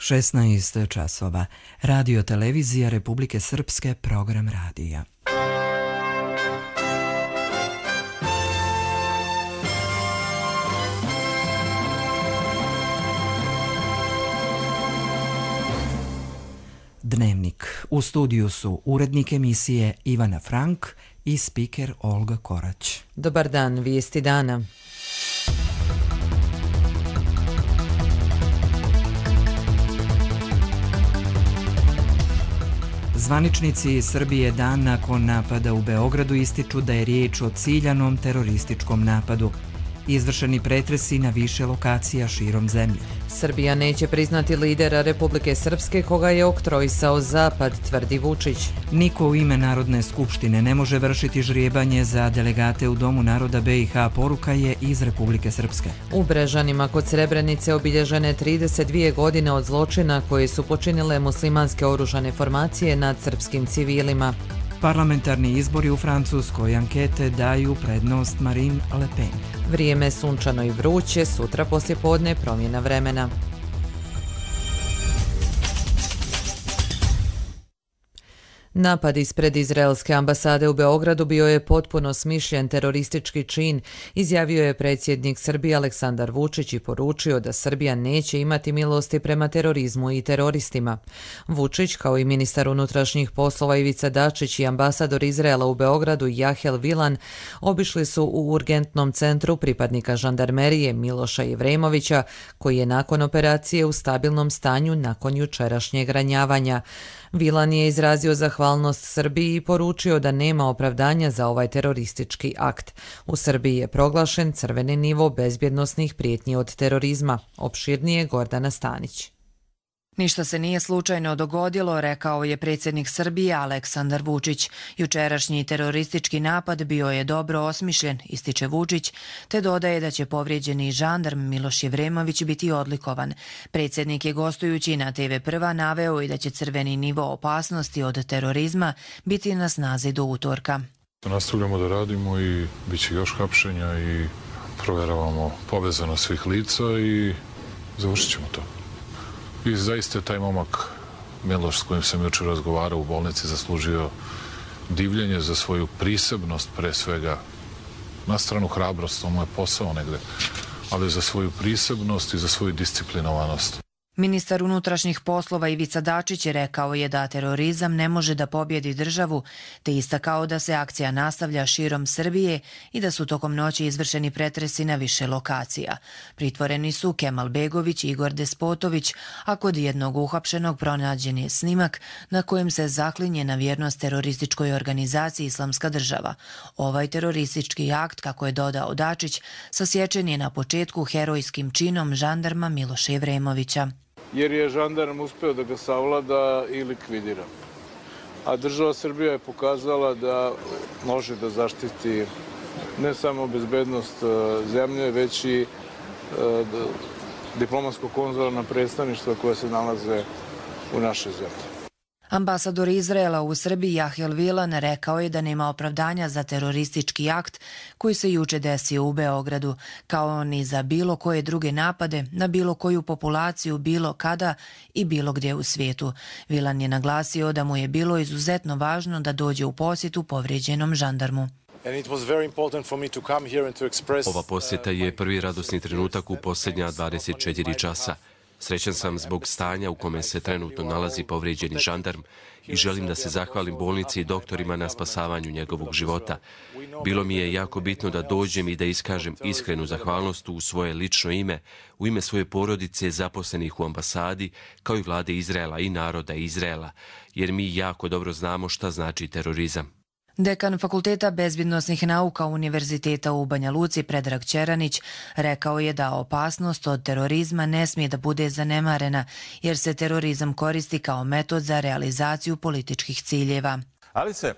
16 časova. Radio televizija Republike Srpske, program radija. Dnevnik. U studiju su urednik emisije Ivana Frank i spiker Olga Korać. Dobar dan, vijesti dana. Zvaničnici Srbije dan nakon napada u Beogradu ističu da je riječ o ciljanom terorističkom napadu. Izvršeni pretresi na više lokacija širom zemlje. Srbija neće priznati lidera Republike Srpske koga je oktroisao Zapad, tvrdi Vučić. Niko u ime Narodne skupštine ne može vršiti žrijebanje za delegate u Domu naroda BiH, poruka je iz Republike Srpske. U Brežanima kod Srebrenice obilježene 32 godine od zločina koje su počinile muslimanske oružane formacije nad srpskim civilima. Parlamentarni izbori u Francuskoj, ankete daju prednost Marine Le Pen. Vrijeme sunčano i vruće, sutra poslijepodne promjena vremena. Napad ispred izraelske ambasade u Beogradu bio je potpuno smišljen teroristički čin, izjavio je predsjednik Srbije Aleksandar Vučić i poručio da Srbija neće imati milosti prema terorizmu i teroristima. Vučić, kao i ministar unutrašnjih poslova Ivica Dačić i ambasador Izraela u Beogradu Jahel Vilan, obišli su u urgentnom centru pripadnika žandarmerije Miloša Jevremovića, koji je nakon operacije u stabilnom stanju nakon jučerašnjeg ranjavanja. Vilan je izrazio zahvalnost Srbiji i poručio da nema opravdanja za ovaj teroristički akt. U Srbiji je proglašen crveni nivo bezbjednosnih prijetnji od terorizma. Opširnije Gordana Stanić. Ništa se nije slučajno dogodilo, rekao je predsjednik Srbije Aleksandar Vučić. Jučerašnji teroristički napad bio je dobro osmišljen, ističe Vučić, te dodaje da će povrijeđeni žandarm Miloš Jevremović biti odlikovan. Predsjednik je gostujući na TV Prva naveo i da će crveni nivo opasnosti od terorizma biti na snazi do utorka. Nastavljamo da radimo i bit će još hapšenja i provjeravamo povezanost svih lica i završit ćemo to. I zaista je taj momak Miloš s kojim sam jučer razgovarao u bolnici zaslužio divljenje za svoju prisebnost, pre svega na stranu hrabrost, to mu je posao negde, ali za svoju prisebnost i za svoju disciplinovanost. Ministar unutrašnjih poslova Ivica Dačić je rekao je da terorizam ne može da pobjedi državu, te istakao da se akcija nastavlja širom Srbije i da su tokom noći izvršeni pretresi na više lokacija. Pritvoreni su Kemal Begović i Igor Despotović, a kod jednog uhapšenog pronađen je snimak na kojem se zaklinje na vjernost terorističkoj organizaciji Islamska država. Ovaj teroristički akt, kako je dodao Dačić, sasječen je na početku herojskim činom žandarma Miloša Jevremovića. Jer je žandarm uspeo da ga savlada i likvidira. A država Srbija je pokazala da može da zaštiti ne samo bezbednost zemlje, već i diplomatsko-konzularna predstavništva koja se nalaze u našoj zemlji. Ambasador Izraela u Srbiji Jahel Vilan rekao je da nema opravdanja za teroristički akt koji se juče desio u Beogradu, kao ni za bilo koje druge napade na bilo koju populaciju bilo kada i bilo gdje u svijetu. Vilan je naglasio da mu je bilo izuzetno važno da dođe u posjetu povrijeđenom žandarmu. Ova posjeta je prvi radosni trenutak u posljednja 24 časa. Srećan sam zbog stanja u kome se trenutno nalazi povrijeđeni žandarm i želim da se zahvalim bolnici i doktorima na spasavanju njegovog života. Bilo mi je jako bitno da dođem i da iskažem iskrenu zahvalnost u svoje lično ime, u ime svoje porodice zaposlenih u ambasadi, kao i vlade Izraela i naroda Izraela, jer mi jako dobro znamo šta znači terorizam. Dekan Fakulteta bezbjednosnih nauka Univerziteta u Banja Luci Predrag Ćeranić rekao je da opasnost od terorizma ne smije da bude zanemarena, jer se terorizam koristi kao metod za realizaciju političkih ciljeva. Ali se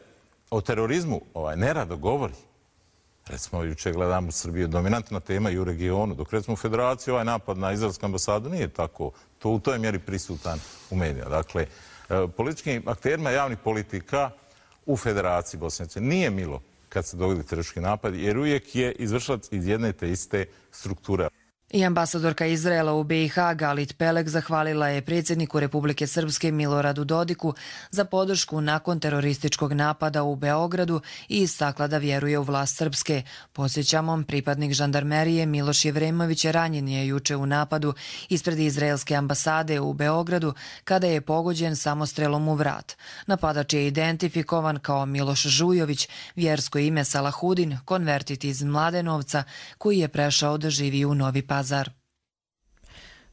o terorizmu nerado govori. Recimo, juče gledamo u Srbiju dominantna tema i u regionu, dok recimo u Federaciji ovaj napad na izraelsku ambasadu nije tako. To u toj mjeri prisutan u medijima. Dakle, političkim akterima javnih politika u Federaciji Bosne i Hercegovine nije milo kad se dogodi teroristički napad, jer uvijek je izvršilac iz jedne te iste strukture. I ambasadorka Izraela u BiH Galit Pelek zahvalila je predsjedniku Republike Srpske Miloradu Dodiku za podršku nakon terorističkog napada u Beogradu i istakla da vjeruje u vlast Srpske. Podsjećamo, pripadnik žandarmerije Miloš Jevremović ranjen je juče u napadu ispred izraelske ambasade u Beogradu kada je pogođen samostrelom u vrat. Napadač je identifikovan kao Miloš Žujović, vjersko ime Salahudin, konvertit iz Mladenovca, koji je prešao da živi u Novi Pazar.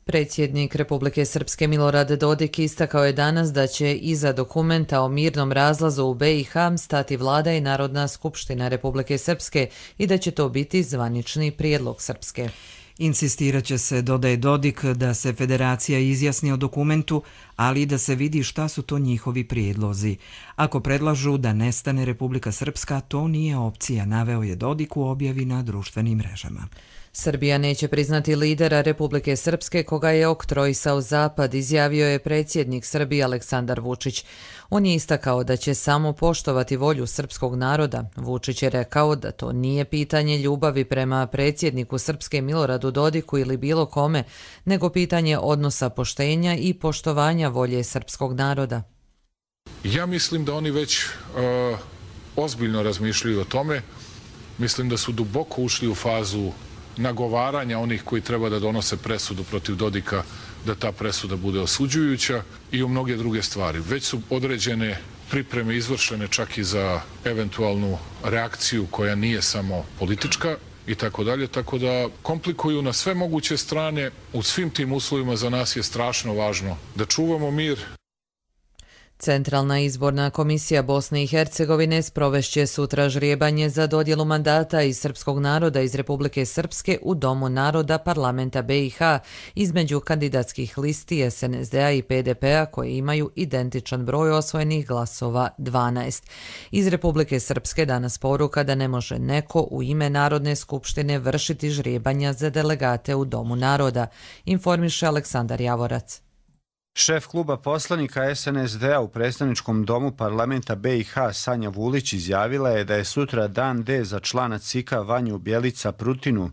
Predsjednik Republike Srpske Milorad Dodik istakao je danas da će iza dokumenta o mirnom razlazu u BiH stati vlada i Narodna skupština Republike Srpske i da će to biti zvanični prijedlog Srpske. Insistirat će se, dodaje Dodik, da se federacija izjasni o dokumentu, ali i da se vidi šta su to njihovi prijedlozi. Ako predlažu da nestane Republika Srpska, to nije opcija, naveo je Dodik u objavi na društvenim mrežama. Srbija neće priznati lidera Republike Srpske koga je oktroisao Zapad, izjavio je predsjednik Srbije Aleksandar Vučić. On je istakao da će samo poštovati volju srpskog naroda. Vučić je rekao da to nije pitanje ljubavi prema predsjedniku Srpske Miloradu Dodiku ili bilo kome, nego pitanje odnosa poštenja i poštovanja volje srpskog naroda. Ja mislim da oni već ozbiljno razmišljaju o tome. Mislim da su duboko ušli u fazu nagovaranja onih koji treba da donose presudu protiv Dodika, da ta presuda bude osuđujuća i u mnoge druge stvari. Već su određene pripreme izvršene čak i za eventualnu reakciju koja nije samo politička i tako dalje, tako da komplikuju na sve moguće strane. U svim tim uslovima za nas je strašno važno da čuvamo mir. Centralna izborna komisija Bosne i Hercegovine sprovešće sutra žrijebanje za dodjelu mandata iz srpskog naroda iz Republike Srpske u Domu naroda parlamenta BiH između kandidatskih listi SNSD-a i PDP-a koji imaju identičan broj osvojenih glasova 12. Iz Republike Srpske danas poruka da ne može neko u ime Narodne skupštine vršiti žrijebanja za delegate u Domu naroda, informiše Aleksandar Javorac. Šef kluba poslanika SNSD-a u predstavničkom domu parlamenta BiH Sanja Vulić izjavila je da je sutra dan D za člana CIK-a Vanju Bjelica Prutinu,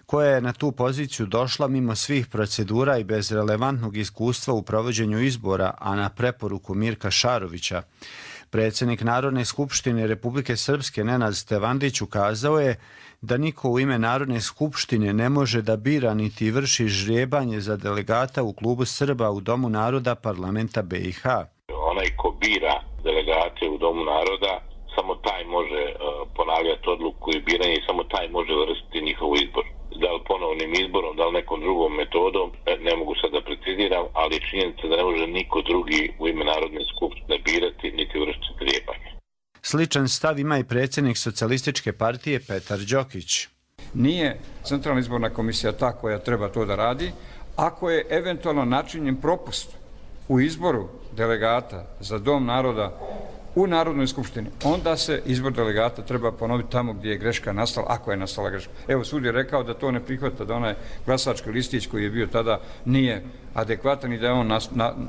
koja je na tu poziciju došla mimo svih procedura i bez relevantnog iskustva u provođenju izbora, a na preporuku Mirka Šarovića. Predsjednik Narodne skupštine Republike Srpske Nenad Stevandić ukazao je da niko u ime Narodne skupštine ne može da bira niti vrši žrijebanje za delegata u klubu Srba u Domu naroda parlamenta BiH. Onaj ko bira delegate u Domu naroda, samo taj može ponavljati odluku i biranje i samo taj može vršiti njihov izbor. Da li ponovnim izborom, da li nekom drugom metodom, ne mogu sad da preciziram, ali činjenica da ne može niko drugi u ime Narodne skupštine birati niti vršiti žrijebanje. Sličan stav ima i predsjednik Socijalističke partije Petar Đokić. Nije Centralna izborna komisija ta koja treba to da radi. Ako je eventualno načinjen propust u izboru delegata za Dom naroda u Narodnoj skupštini, onda se izbor delegata treba ponoviti tamo gdje je greška nastala, ako je nastala greška. Evo, sud je rekao da to ne prihvata, da onaj glasački listić koji je bio tada nije adekvatan i da je on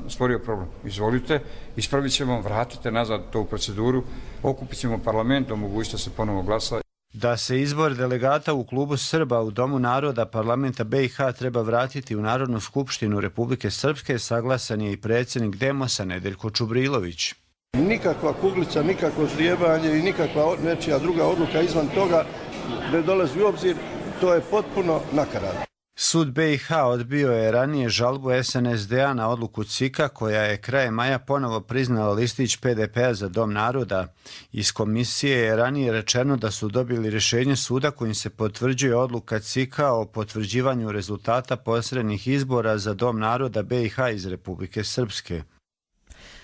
stvorio problem. Izvolite, ispravit ćemo, vratite nazad to u proceduru, okupit ćemo parlament, omogućite se ponovo glasa. Da se izbor delegata u klubu Srba u Domu naroda parlamenta BiH treba vratiti u Narodnu skupštinu Republike Srpske, saglasan je i predsjednik Demosa Nedeljko Čubrilović. Nikakva kuglica, nikakvo žrijebanje i nikakva nečija druga odluka izvan toga ne dolazi u obzir, to je potpuno nakaradno. Sud BiH odbio je ranije žalbu SNSD-a na odluku CIK-a koja je krajem maja ponovo priznala listić PDP-a za Dom naroda. Iz komisije je ranije rečeno da su dobili rješenje suda kojim se potvrđuje odluka CIK-a o potvrđivanju rezultata posrednih izbora za Dom naroda BiH iz Republike Srpske.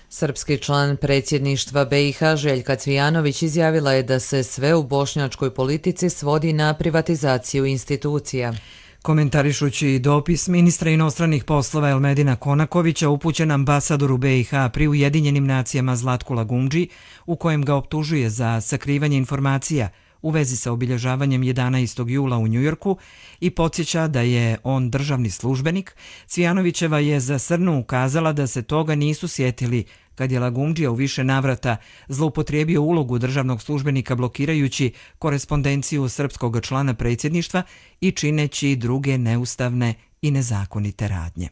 Srpski član predsjedništva BiH Željka Cvijanović izjavila je da se sve u bošnjačkoj politici svodi na privatizaciju institucija. Komentarišući dopis ministra inostranih poslova Elmedina Konakovića upućen ambasadoru BiH pri Ujedinjenim nacijama Zlatku Lagundži, u kojem ga optužuje za sakrivanje informacija u vezi sa obilježavanjem 11. jula u Njujorku i podsjeća da je on državni službenik, Cvijanovićeva je za Srnu ukazala da se toga nisu sjetili kad je Lagumdžija u više navrata zloupotrijebio ulogu državnog službenika blokirajući korespondenciju srpskog člana predsjedništva i čineći druge neustavne i nezakonite radnje.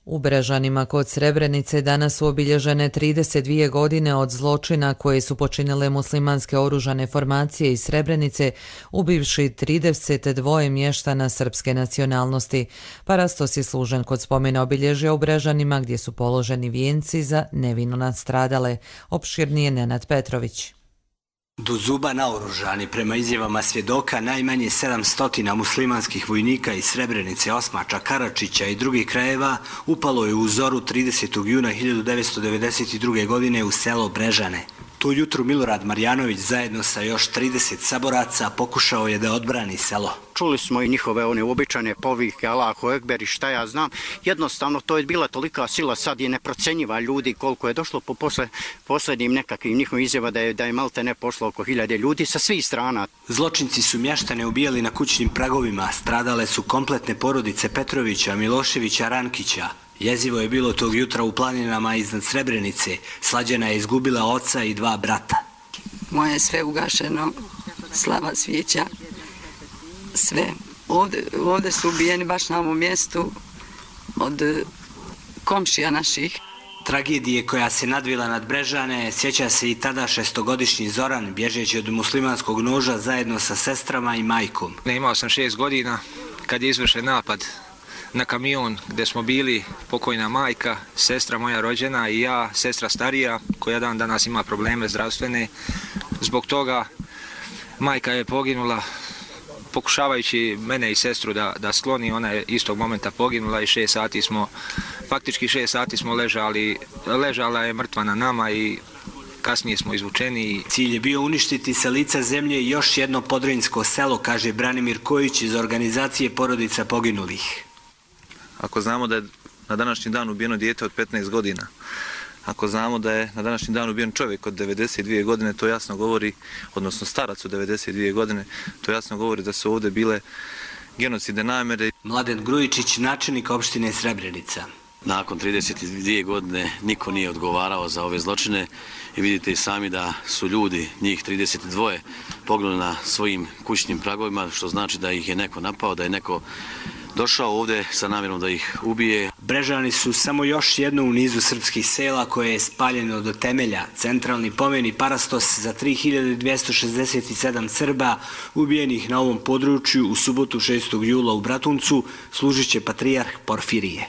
U Brežanima kod Srebrenice danas su obilježene 32 godine od zločina koje su počinile muslimanske oružane formacije iz Srebrenice, ubivši 32 mještana srpske nacionalnosti. Parastos je služen kod spomena obilježja u Brežanima gdje su položeni vijenci za nevino nastradale. Opširnije Nenad Petrović. Do zuba naoružani, prema izjavama svjedoka, najmanje 700 muslimanskih vojnika iz Srebrenice, Osmača, Karačića i drugih krajeva upalo je u zoru 30. juna 1992. godine u selo Brežane. Tu jutru Milorad Marjanović zajedno sa još 30 saboraca pokušao je da odbrani selo. Čuli smo i njihove one običajne povike Allahu Ekber i šta ja znam. Jednostavno to je bila tolika sila, sad je neprocenjiva ljudi koliko je došlo po posljednjim nekakvim njihovim izjava da je malte ne pošlo oko 1000 ljudi sa svih strana. Zločinci su mještane ubijali na kućnim pragovima, stradale su kompletne porodice Petrovića, Miloševića, Rankića. Jezivo je bilo tog jutra u planinama iznad Srebrenice. Slađana je izgubila oca i 2 brata. Moje je sve ugašeno, slava svijeća, sve. Ovdje su ubijeni baš na ovom mjestu od komšija naših. Tragedije koja se nadvila nad Brežane sjeća se i tada 6-godišnji Zoran, bježeći od muslimanskog noža zajedno sa sestrama i majkom. Imao sam 6 godina kad je izvršen napad na kamion gdje smo bili pokojna majka, sestra moja rođena i ja, sestra starija, koja dan danas ima probleme zdravstvene. Zbog toga majka je poginula, pokušavajući mene i sestru da skloni, ona je istog momenta poginula i 6 sati smo, faktički 6 sati smo ležala je mrtva na nama i kasnije smo izvučeni. Cilj je bio uništiti sa lica zemlje još jedno podrinjsko selo, kaže Branimir Kojić iz organizacije porodica poginulih. Ako znamo da je na današnji dan ubijeno dijete od 15 godina, ako znamo da je na današnji dan ubijen čovjek od 92 godine, to jasno govori, odnosno starac od 92 godine, to jasno govori da su ovdje bile genocidne namjere. Mladen Grujičić, načelnik opštine Srebrenica. Nakon 32 godine niko nije odgovarao za ove zločine i vidite i sami da su ljudi, njih 32, poginuli na svojim kućnim pragovima, što znači da ih je neko napao, da je neko došao ovdje sa namjerom da ih ubije. Brežani su samo još jedno u nizu srpskih sela koje je spaljeno do temelja. Centralni pomen i parastos za 3267 Srba ubijenih na ovom području u subotu 6. jula u Bratuncu služit će patrijarh Porfirije.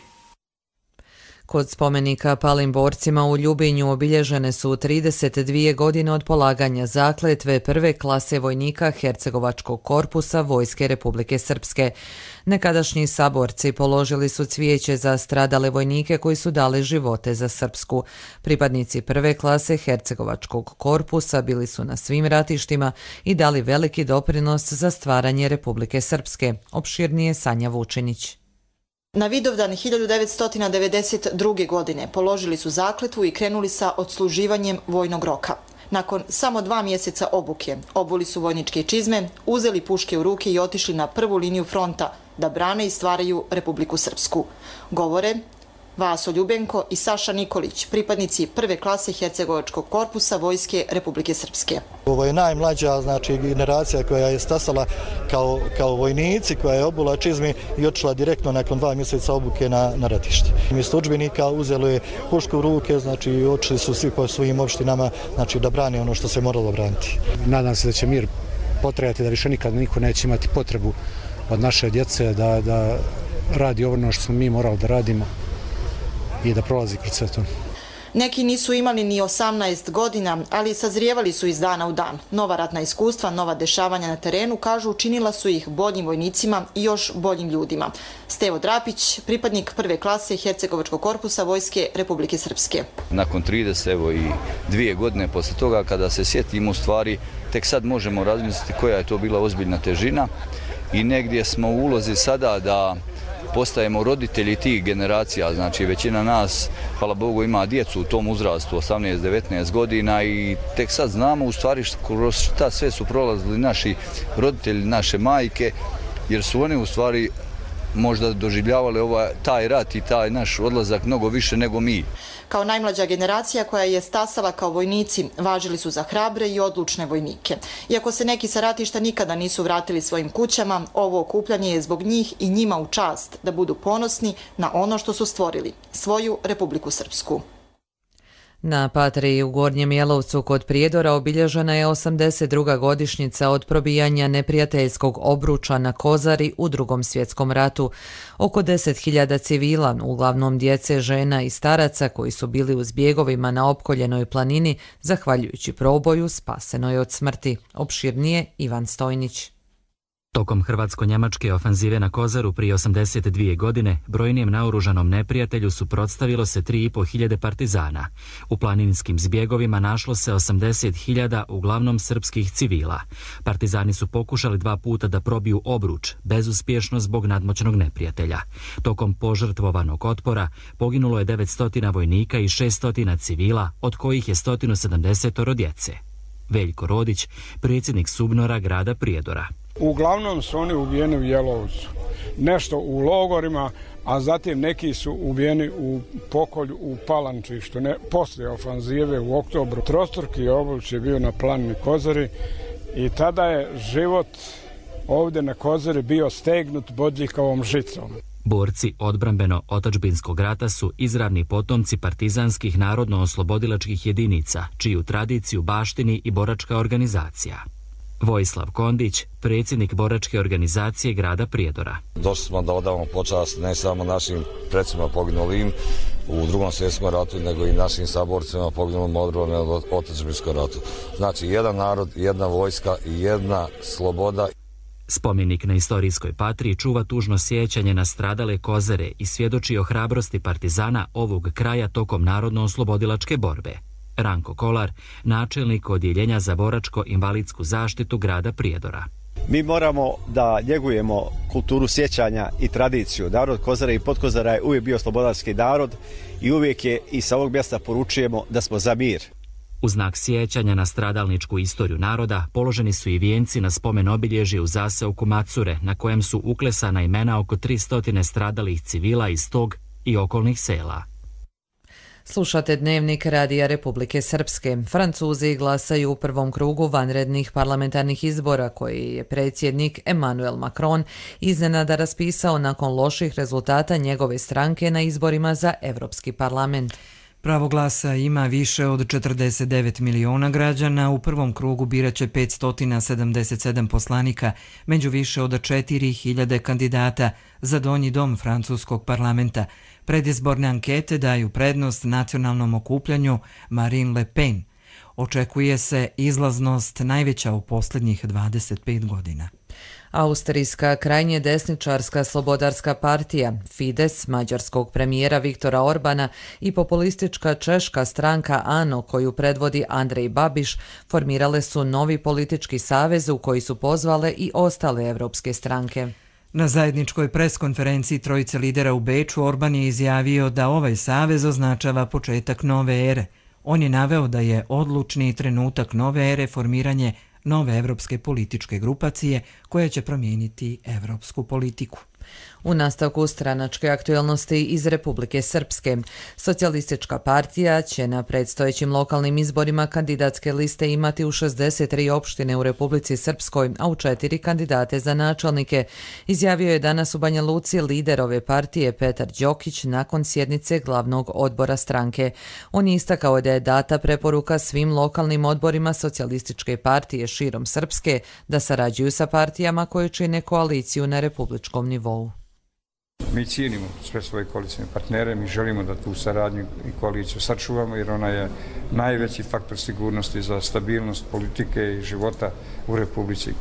Kod spomenika palim borcima u Ljubinju obilježene su 32 godine od polaganja zakletve prve klase vojnika Hercegovačkog korpusa Vojske Republike Srpske. Nekadašnji saborci položili su cvijeće za stradale vojnike koji su dali živote za Srpsku. Pripadnici prve klase Hercegovačkog korpusa bili su na svim ratištima i dali veliki doprinos za stvaranje Republike Srpske. Opširnije Sanja Vučinić. Na Vidovdan 1992. godine položili su zakletvu i krenuli sa odsluživanjem vojnog roka. Nakon samo 2 mjeseca obuke, obuli su vojničke čizme, uzeli puške u ruke i otišli na prvu liniju fronta da brane i stvaraju Republiku Srpsku. Govore Vaso Ljubenko i Saša Nikolić, pripadnici prve klase Hercegovačkog korpusa Vojske Republike Srpske. Ovo je najmlađa generacija koja je stasala kao vojnici, koja je obula čizmi i otišla direktno nakon 2 mjeseca obuke na ratište. Mjesto udžbenika uzelo je pušku u ruke, znači otišli su svi po svojim opštinama, znači da brane ono što se moralo braniti. Nadam se da će mir potrajati, da više nikad niko neće imati potrebu od naše djece da radi ono što smo mi morali da radimo i da prolazi kroz sve to. Neki nisu imali ni 18 godina, ali sazrijevali su iz dana u dan. Nova ratna iskustva, nova dešavanja na terenu, kažu, učinila su ih boljim vojnicima i još boljim ljudima. Stevo Drapić, pripadnik prve klase Hercegovačkog korpusa Vojske Republike Srpske. Nakon 32 godine posle toga, kada se sjetimo u stvari, tek sad možemo razmisliti koja je to bila ozbiljna težina i negdje smo u ulozi sada da postajemo roditelji tih generacija, znači većina nas, hvala Bogu, ima djecu u tom uzrastu, 18-19 godina i tek sad znamo u stvari kroz šta sve su prolazili naši roditelji, naše majke, jer su oni u stvari možda doživljavali taj rat i taj naš odlazak mnogo više nego mi. Kao najmlađa generacija koja je stasala kao vojnici, važili su za hrabre i odlučne vojnike. Iako se neki sa ratišta nikada nisu vratili svojim kućama, ovo okupljanje je zbog njih i njima u čast da budu ponosni na ono što su stvorili, svoju Republiku Srpsku. Na Patriji u Gornjem Jelovcu kod Prijedora obilježena je 82. godišnjica od probijanja neprijateljskog obruča na Kozari u Drugom svjetskom ratu. Oko 10.000 civila, uglavnom djece, žena i staraca koji su bili u zbjegovima na opkoljenoj planini, zahvaljujući proboju, spaseno je od smrti. Opširnije Ivan Stojnić. Tokom hrvatsko-njemačke ofanzive na Kozaru prije 82 godine brojnijem naoružanom neprijatelju suprotstavilo se 3.500 partizana. U planinskim zbjegovima našlo se 80.000 uglavnom srpskih civila. Partizani su pokušali 2 puta da probiju obruč, bezuspješno zbog nadmoćnog neprijatelja. Tokom požrtvovanog otpora poginulo je 900 vojnika i 600 civila, od kojih je 170 djece. Veljko Rodić, predsjednik SUBNOR-a grada Prijedora. Uglavnom su oni ubijeni u Jelovcu, nešto u logorima, a zatim neki su ubijeni u pokolju u Palančištu, poslije ofanzive u oktobru. Trostruki obruč je bio na planini Kozari i tada je život ovdje na Kozari bio stegnut bodljikavom žicom. Borci odbrambeno-otadžbinskog rata su izravni potomci partizanskih narodno-oslobodilačkih jedinica, čiju tradiciju baštini i boračka organizacija. Vojislav Kondić, predsjednik boračke organizacije grada Prijedora. Došli smo da odavamo počast ne samo našim predsjedima poginulim u Drugom svjetskom ratu, nego i našim saborcima poginulim u odbrambeno-otadžbinskom ratu. Znači, jedan narod, jedna vojska i jedna sloboda. Spomenik na istorijskoj Patriji čuva tužno sjećanje na stradale Kozare i svjedoči o hrabrosti partizana ovog kraja tokom narodno-oslobodilačke borbe. Ranko Kolar, načelnik odjeljenja za boračko-invalidsku zaštitu grada Prijedora. Mi moramo da njegujemo kulturu sjećanja i tradiciju. Narod Kozara i Podkozara je uvijek bio slobodarski narod i uvijek je i sa ovog mjesta poručujemo da smo za mir. U znak sjećanja na stradalničku istoriju naroda položeni su i vijenci na spomen obilježje u zaseoku Macure, na kojem su uklesana imena oko 300 stradalih civila iz tog i okolnih sela. Slušate Dnevnik Radija Republike Srpske. Francuzi glasaju u prvom krugu vanrednih parlamentarnih izbora koji je predsjednik Emmanuel Macron iznenada raspisao nakon loših rezultata njegove stranke na izborima za Europski parlament. Pravo glasa ima više od 49 miliona građana. U prvom krugu biraće 577 poslanika, među više od 4000 kandidata za donji dom francuskog parlamenta. Predizborne ankete daju prednost nacionalnom okupljanju Marine Le Pen. Očekuje se izlaznost najveća u posljednjih 25 godina. Austrijska krajnje desničarska slobodarska partija, Fides, mađarskog premijera Viktora Orbana i populistička češka stranka ANO koju predvodi Andrej Babiš formirale su novi politički savez u koji su pozvale i ostale evropske stranke. Na zajedničkoj preskonferenciji trojice lidera u Beču Orban je izjavio da ovaj savez označava početak nove ere. On je naveo da je odlučni trenutak nove ere formiranje nove evropske političke grupacije koja će promijeniti evropsku politiku. U nastavku stranačke aktualnosti iz Republike Srpske, Socijalistička partija će na predstojećim lokalnim izborima kandidatske liste imati u 63 opštine u Republici Srpskoj, a u 4 kandidate za načelnike, izjavio je danas u Banja Luci lider ove partije Petar Đokić nakon sjednice glavnog odbora stranke. On je istakao da je data preporuka svim lokalnim odborima Socijalističke partije širom Srpske da sarađuju sa partijama koje čine koaliciju na republičkom nivou. Mi cijenimo sve svoje koalicijne partnere, mi želimo da tu saradnju i koaliciju sačuvamo jer ona je najveći faktor sigurnosti za stabilnost politike i života u Republici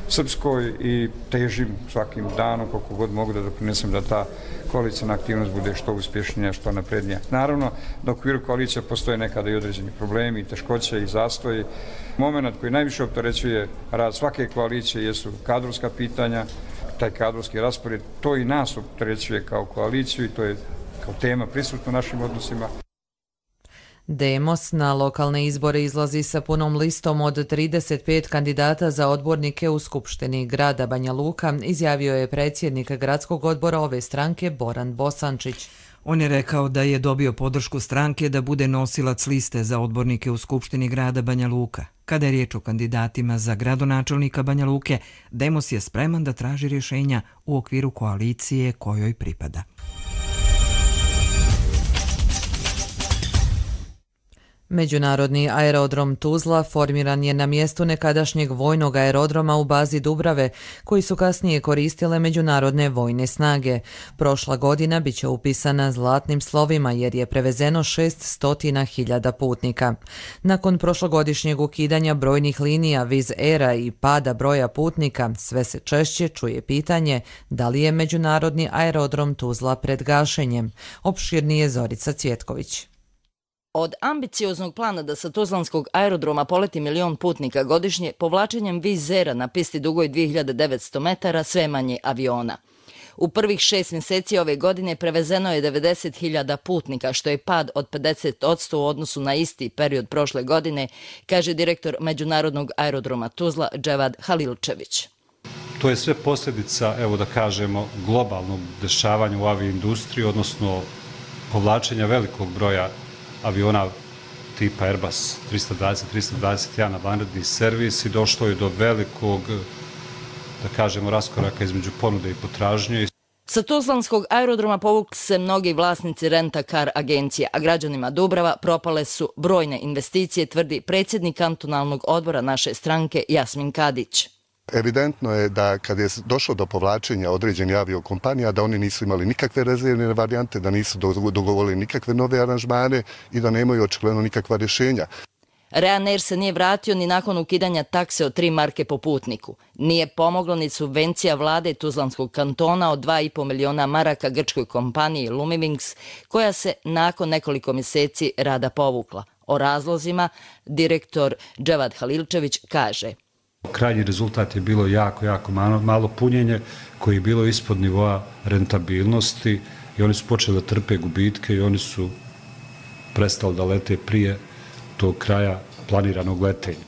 Srpskoj i težim svakim danom koliko god mogu da doprinesem da ta koalicijna aktivnost bude što uspješnija, što naprednija. Naravno, da u okviru koalicija postoje nekada i određeni problemi, teškoće i zastoji. Moment koji najviše opterećuje rad svake koalicije jesu kadrovska pitanja, taj kadrovski raspored, to i nas opterećuje kao koaliciju i to je kao tema prisutna u našim odnosima. Demos na lokalne izbore izlazi sa punom listom od 35 kandidata za odbornike u Skupštini grada Banja Luka, izjavio je predsjednik gradskog odbora ove stranke Boran Bosančić. On je rekao da je dobio podršku stranke da bude nosilac liste za odbornike u Skupštini grada Banja Luka. Kada je riječ o kandidatima za gradonačelnika Banja Luke, Demos je spreman da traži rješenja u okviru koalicije kojoj pripada. Međunarodni aerodrom Tuzla formiran je na mjestu nekadašnjeg vojnog aerodroma u bazi Dubrave, koji su kasnije koristile međunarodne vojne snage. Prošla godina bit će upisana zlatnim slovima jer je prevezeno 600.000 putnika. Nakon prošlogodišnjeg ukidanja brojnih linija Wizz Aira i pada broja putnika, sve se češće čuje pitanje da li je međunarodni aerodrom Tuzla pred gašenjem. Opširnije Zorica Cvjetković. Od ambicioznog plana da sa tuzlanskog aerodroma poleti 1 milion putnika godišnje, povlačenjem Wizz Aira na pisti dugoj 2900 metara sve manje aviona. U prvih 6 mjeseci ove godine prevezeno je 90.000 putnika, što je pad od 50% u odnosu na isti period prošle godine, kaže direktor Međunarodnog aerodroma Tuzla Dževad Halilčević. To je sve posljedica, evo da kažemo, globalnog dešavanja u aviindustriji, odnosno povlačenja velikog broja aviona tipa Airbus 320-321 na vanredni servis i došlo je do velikog, da kažemo, raskoraka između ponude i potražnje. Sa tuzlanskog aerodroma povukli se mnogi vlasnici renta-kar agencija, a građanima Dubrava propale su brojne investicije, tvrdi predsjednik kantonalnog odbora naše stranke Jasmin Kadić. Evidentno je da kad je došlo do povlačenja određenih aviokompanija, da oni nisu imali nikakve rezervne varijante, da nisu dogovorili nikakve nove aranžmane i da nemaju očigledno nikakva rješenja. Ryanair se nije vratio ni nakon ukidanja takse od 3 marke po putniku. Nije pomoglo ni subvencija vlade Tuzlanskog kantona od 2,5 miliona maraka grčkoj kompaniji Lumivings, koja se nakon nekoliko mjeseci rada povukla. O razlozima direktor Dževad Halilčević kaže: Krajnji rezultat je bilo jako malo punjenje koje je bilo ispod nivoa rentabilnosti i oni su počeli da trpe gubitke i oni su prestali da lete prije tog kraja planiranog letenja.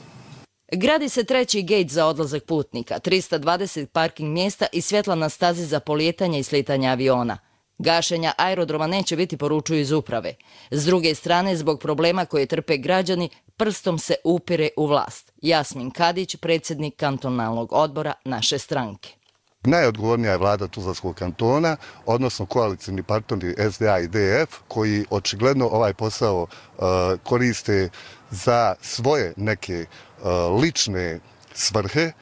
Gradi se 3. gejt za odlazak putnika, 320 parking mjesta i svjetla na stazi za polijetanje i slitanje aviona. Gašenja aerodroma neće biti, poručuju iz uprave. S druge strane, zbog problema koje trpe građani, prstom se upire u vlast. Jasmin Kadić, predsjednik kantonalnog odbora naše stranke. Najodgovornija je vlada Tuzlanskog kantona, odnosno koalicijni partneri SDA i DF, koji očigledno ovaj posao koriste za svoje neke lične svrhe.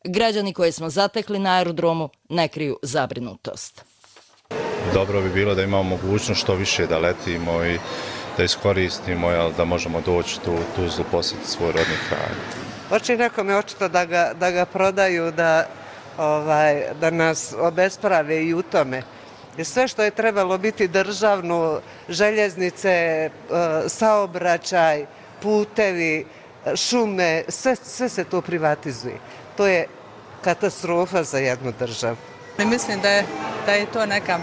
Građani koje smo zatekli na aerodromu ne kriju zabrinutost. Dobro bi bilo da imamo mogućnost što više da letimo i da iskoristimo, da možemo doći tu Tuzlu, posjetiti svoj rodni kraj. Oči nekome očito da ga prodaju, da nas obesprave i u tome. Jer sve što je trebalo biti državno, željeznice, saobraćaj, putevi, šume, sve se to privatizuje. To je katastrofa za jednu državu. Mislim da je to neka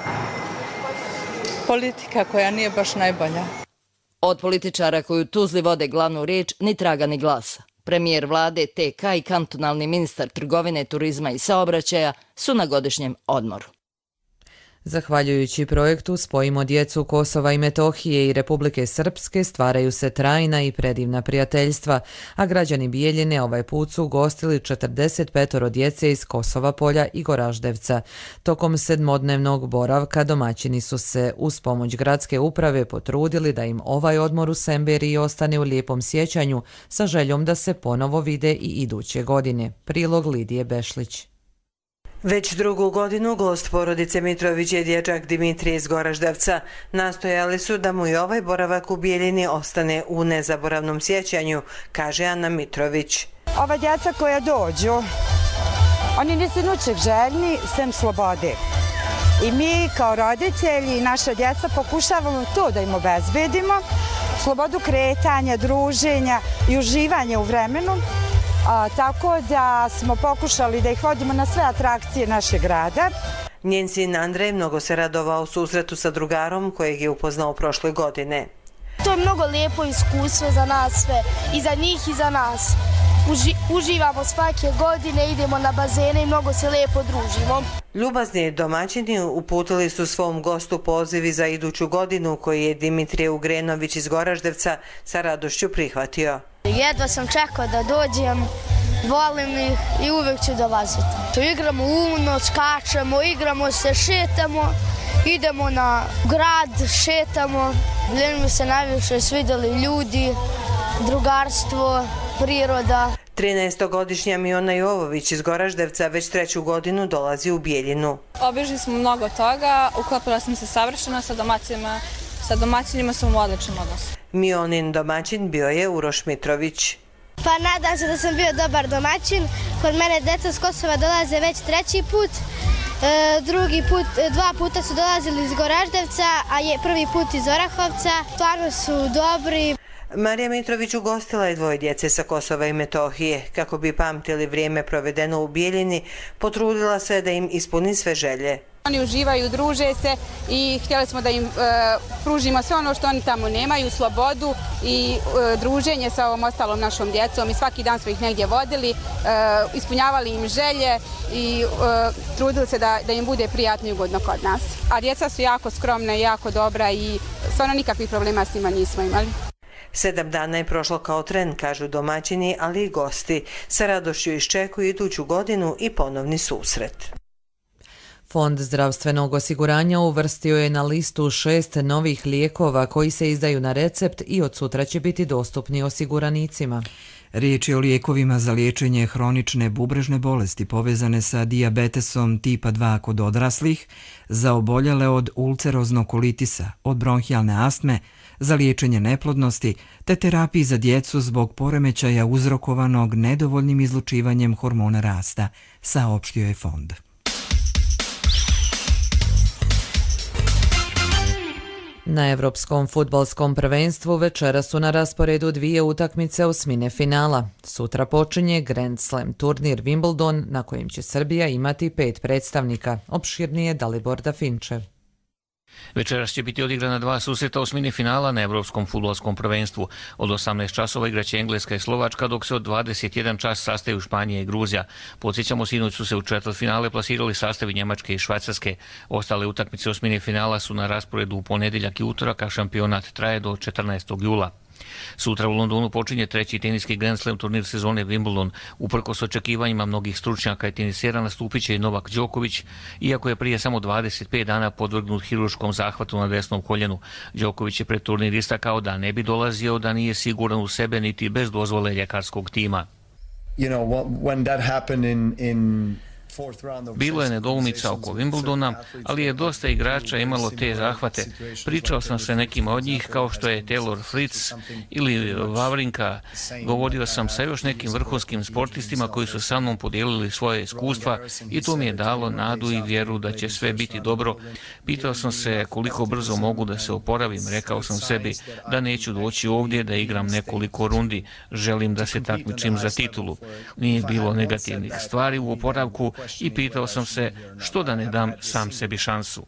politika koja nije baš najbolja. Od političara koji u Tuzli vode glavnu riječ ni traga ni glasa. Premijer vlade TK i kantonalni ministar trgovine, turizma i saobraćaja su na godišnjem odmoru. Zahvaljujući projektu Spojimo djecu Kosova i Metohije i Republike Srpske stvaraju se trajna i predivna prijateljstva, a građani Bijeljine ovaj put su ugostili 45 djece iz Kosova Polja i Goraždevca. Tokom 7-dnevnog boravka domaćini su se uz pomoć gradske uprave potrudili da im ovaj odmor u Semberiji ostane u lijepom sjećanju sa željom da se ponovo vide i iduće godine. Prilog Lidije Bešlić. Već drugu godinu gost porodice Mitrović je dječak Dimitrije iz Goraždevca. Nastojali su da mu i ovaj boravak u Bijeljini ostane u nezaboravnom sjećanju, kaže Ana Mitrović. Ova djeca koja dođu, oni nisu ničeg željni sem slobode. I mi kao roditelji i naša djeca pokušavamo to da im obezbedimo, slobodu kretanja, druženja i uživanja u vremenu. Tako da smo pokušali da ih vodimo na sve atrakcije našeg grada. Njen sin Andrej mnogo se radovao susretu sa drugarom kojeg je upoznao prošle godine. To je mnogo lijepo iskustvo za nas sve, i za njih i za nas. Uživamo svake godine, idemo na bazene i mnogo se lijepo družimo. Ljubazni domaćini uputili su svom gostu pozivi za iduću godinu koji je Dimitrije Ugrenović iz Goraždevca sa radošću prihvatio. Jedva sam čekao da dođem, volim ih i uvijek ću dolaziti. Igramo uno, skačemo, igramo se, šetamo, idemo na grad, šetamo. Mi se najviše svidjeli ljudi, drugarstvo, priroda. 13-godišnja Miona Jovović iz Goraždevca već 3. godinu dolazi u Bijeljinu. Obišli smo mnogo toga, uklopila sam se savršeno sa domaćinima sam u odličnom odnosu. Mionin domaćin bio je Uroš Mitrović. Pa nadam se da sam bio dobar domaćin. Kod mene deca s Kosova dolaze već 3. put. Drugi put, 2 puta su dolazili iz Goraždevca, a je prvi put iz Orahovca. Stvarno su dobri. Marija Mitrović ugostila je 2 djece sa Kosova i Metohije. Kako bi pamtili vrijeme provedeno u Bijeljini, potrudila se da im ispuni sve želje. Oni uživaju, druže se i htjeli smo da im pružimo sve ono što oni tamo nemaju, slobodu i druženje sa ovom ostalom našom djecom i svaki dan smo ih negdje vodili, ispunjavali im želje i trudili se da im bude prijatno i ugodno kod nas. A djeca su jako skromna i jako dobra i stvarno nikakvih problema s njima nismo imali. 7 dana je prošlo kao tren, kažu domaćini, ali i gosti. Sa radošću iščekuju iduću godinu i ponovni susret. Fond zdravstvenog osiguranja uvrstio je na listu 6 novih lijekova koji se izdaju na recept i od sutra će biti dostupni osiguranicima. Riječ je o lijekovima za liječenje hronične bubrežne bolesti povezane sa dijabetesom tipa 2 kod odraslih, za oboljele od ulceroznog kolitisa, od bronhijalne astme, za liječenje neplodnosti te terapiji za djecu zbog poremećaja uzrokovanog nedovoljnim izlučivanjem hormona rasta, saopštio je fond. Na Evropskom fudbalskom prvenstvu večera su na rasporedu 2 utakmice osmine finala. Sutra počinje Grand Slam turnir Wimbledon na kojem će Srbija imati 5 predstavnika. Opširnije Dalibor Dafinčev. Večeras će biti odigrana 2 susreta osmine finala na Evropskom fudbalskom prvenstvu. Od 18 časova igraće Engleska i Slovačka, dok se od 21 čas sastaju Španija i Gruzija. Podsjećamo, sinoć su se u četvrtfinale plasirali sastavi Njemačke i Švajcarske. Ostale utakmice osmine finala su na rasporedu u ponedjeljak i utorak, a šampionat traje do 14. jula. Sutra u Londonu počinje 3. teniski Grand Slam turnir sezone Wimbledon. Uprkos očekivanjima mnogih stručnjaka i tenisera nastupit će i Novak Đoković, iako je prije samo 25 dana podvrgnut hiruškom zahvatu na desnom koljenu. Đoković je pred turnir istakao da ne bi dolazio da nije siguran u sebe niti bez dozvole ljekarskog tima. Bilo je nedoumica oko Wimbledona, ali je dosta igrača imalo te zahvate. Pričao sam sa nekima od njih, kao što je Taylor Fritz ili Wawrinka. Govorio sam sa još nekim vrhunskim sportistima koji su sa mnom podijelili svoje iskustva i to mi je dalo nadu i vjeru da će sve biti dobro. Pitao sam se koliko brzo mogu da se oporavim. Rekao sam sebi da neću doći ovdje da igram nekoliko rundi. Želim da se takmičim za titulu. Nije bilo negativnih stvari u oporavku i pitao sam se što da ne dam sam sebi šansu.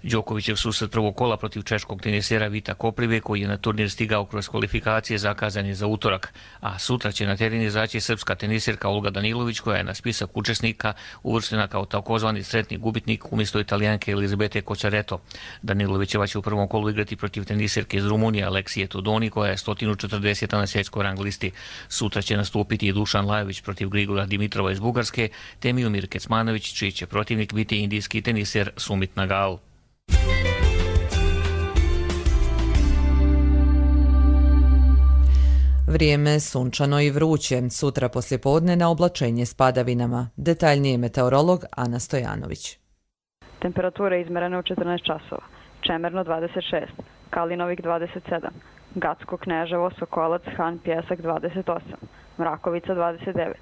Đokovićev susret prvog kola protiv češkog tenisera Vita Koprive, koji je na turnir stigao kroz kvalifikacije, zakazan je za utorak, a sutra će na teren izaći srpska tenisirka Olga Danilović, koja je na spisak učesnika uvrštena kao takozvani sretni gubitnik umjesto Italijanke Elizabete Kočareto. Danilovićeva će u prvom kolu igrati protiv tenisirke iz Rumunije Aleksije Todoni, koja je 140. na svjetskoj rang listi. Sutra će nastupiti i Dušan Lajović protiv Grigora Dimitrova iz Bugarske, te Miomir Kecmanović, čiji će protivnik biti indijski teniser Sumit Nagal. Vrijeme sunčano i vruće. Sutra poslijepodne na oblačenje s padavinama. Detaljnije meteorolog Ana Stojanović. Temperatura izmerena u 14 časova. Čemerno 26, Kalinovik 27, Gacko, Kneževo, Sokolac, Han, Pjesak 28, Mrakovica 29,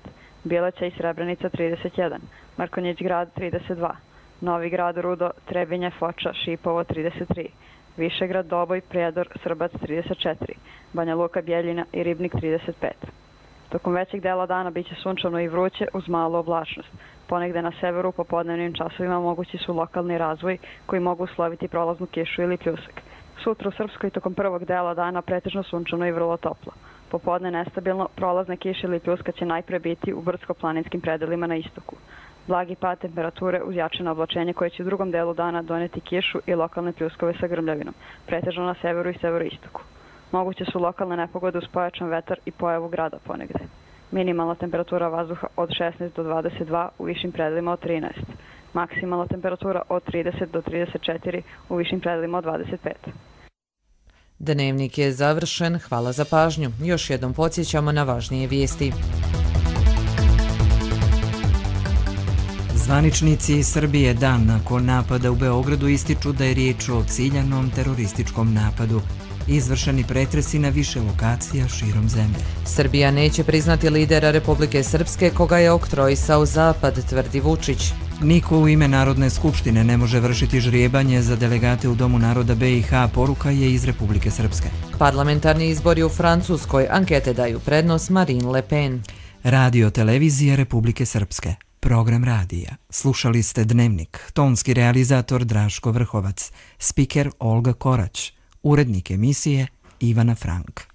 Bileća i Srebrenica 31, Markonjić grad 32, Novi grad, Rudo, Trebinje, Foča, Šipovo 33, Višegrad, Doboj, Prijedor, Srbac 34, Banja Luka, Bjeljina i Ribnik 35. Tokom većeg dela dana biće sunčano i vruće uz malu oblačnost. Ponegde na severu u popodnevnim časovima mogući su lokalni razvoj koji mogu usloviti prolaznu kišu ili pljusak. Sutra u Srpskoj tokom prvog dela dana pretežno sunčano i vrlo toplo. Popodne nestabilno, prolazne kiše ili pljuska će najpre biti u brdsko-planinskim predelima na istoku. Blagi pad temperature uz jačino oblačenje koje će u drugom delu dana doneti kišu i lokalne pljuskove sa grmljavinom, pretežno na severu i severoistoku. Moguće su lokalne nepogode uz pojačan vetar i pojavu grada ponegde. Minimalna temperatura vazduha od 16 do 22, u višim predelima od 13. Maksimalna temperatura od 30 do 34, u višim predelima od 25. Dnevnik je završen, hvala za pažnju. Još jednom podsjećamo na važnije vijesti. Zvaničnici Srbije dan nakon napada u Beogradu ističu da je riječ o ciljanom terorističkom napadu. Izvršeni pretresi na više lokacija širom zemlje. Srbija neće priznati lidera Republike Srpske koga je oktrojisao Zapad, tvrdi Vučić. Niko u ime Narodne skupštine ne može vršiti žrijebanje za delegate u Domu naroda BiH, poruka je iz Republike Srpske. Parlamentarni izbori u Francuskoj, ankete daju prednost Marine Le Pen. Radio televizije Republike Srpske. Program radija. Slušali ste Dnevnik. Tonski realizator Draško Vrhovac. Spiker Olga Korać. Urednik emisije Ivana Frank.